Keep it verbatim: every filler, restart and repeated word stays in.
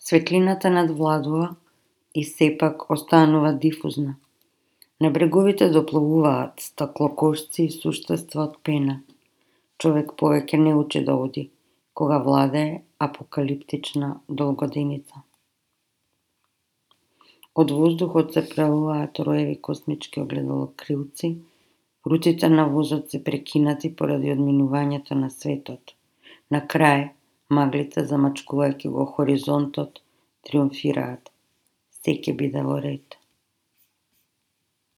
Светлината надвладува и сепак останува дифузна. На бреговите доплувуваат стаклокошци и суштества од пена. Човек повеќе не учи да оди, кога владее апокалиптична долгоденица. Од воздухот се прелуваат роеви космички огледалокрилци, руците на возот се прекинати поради одминувањето на светот. На крај, маглите, замачкувајќи го хоризонтот, триумфираат. Се ќе биде во ред.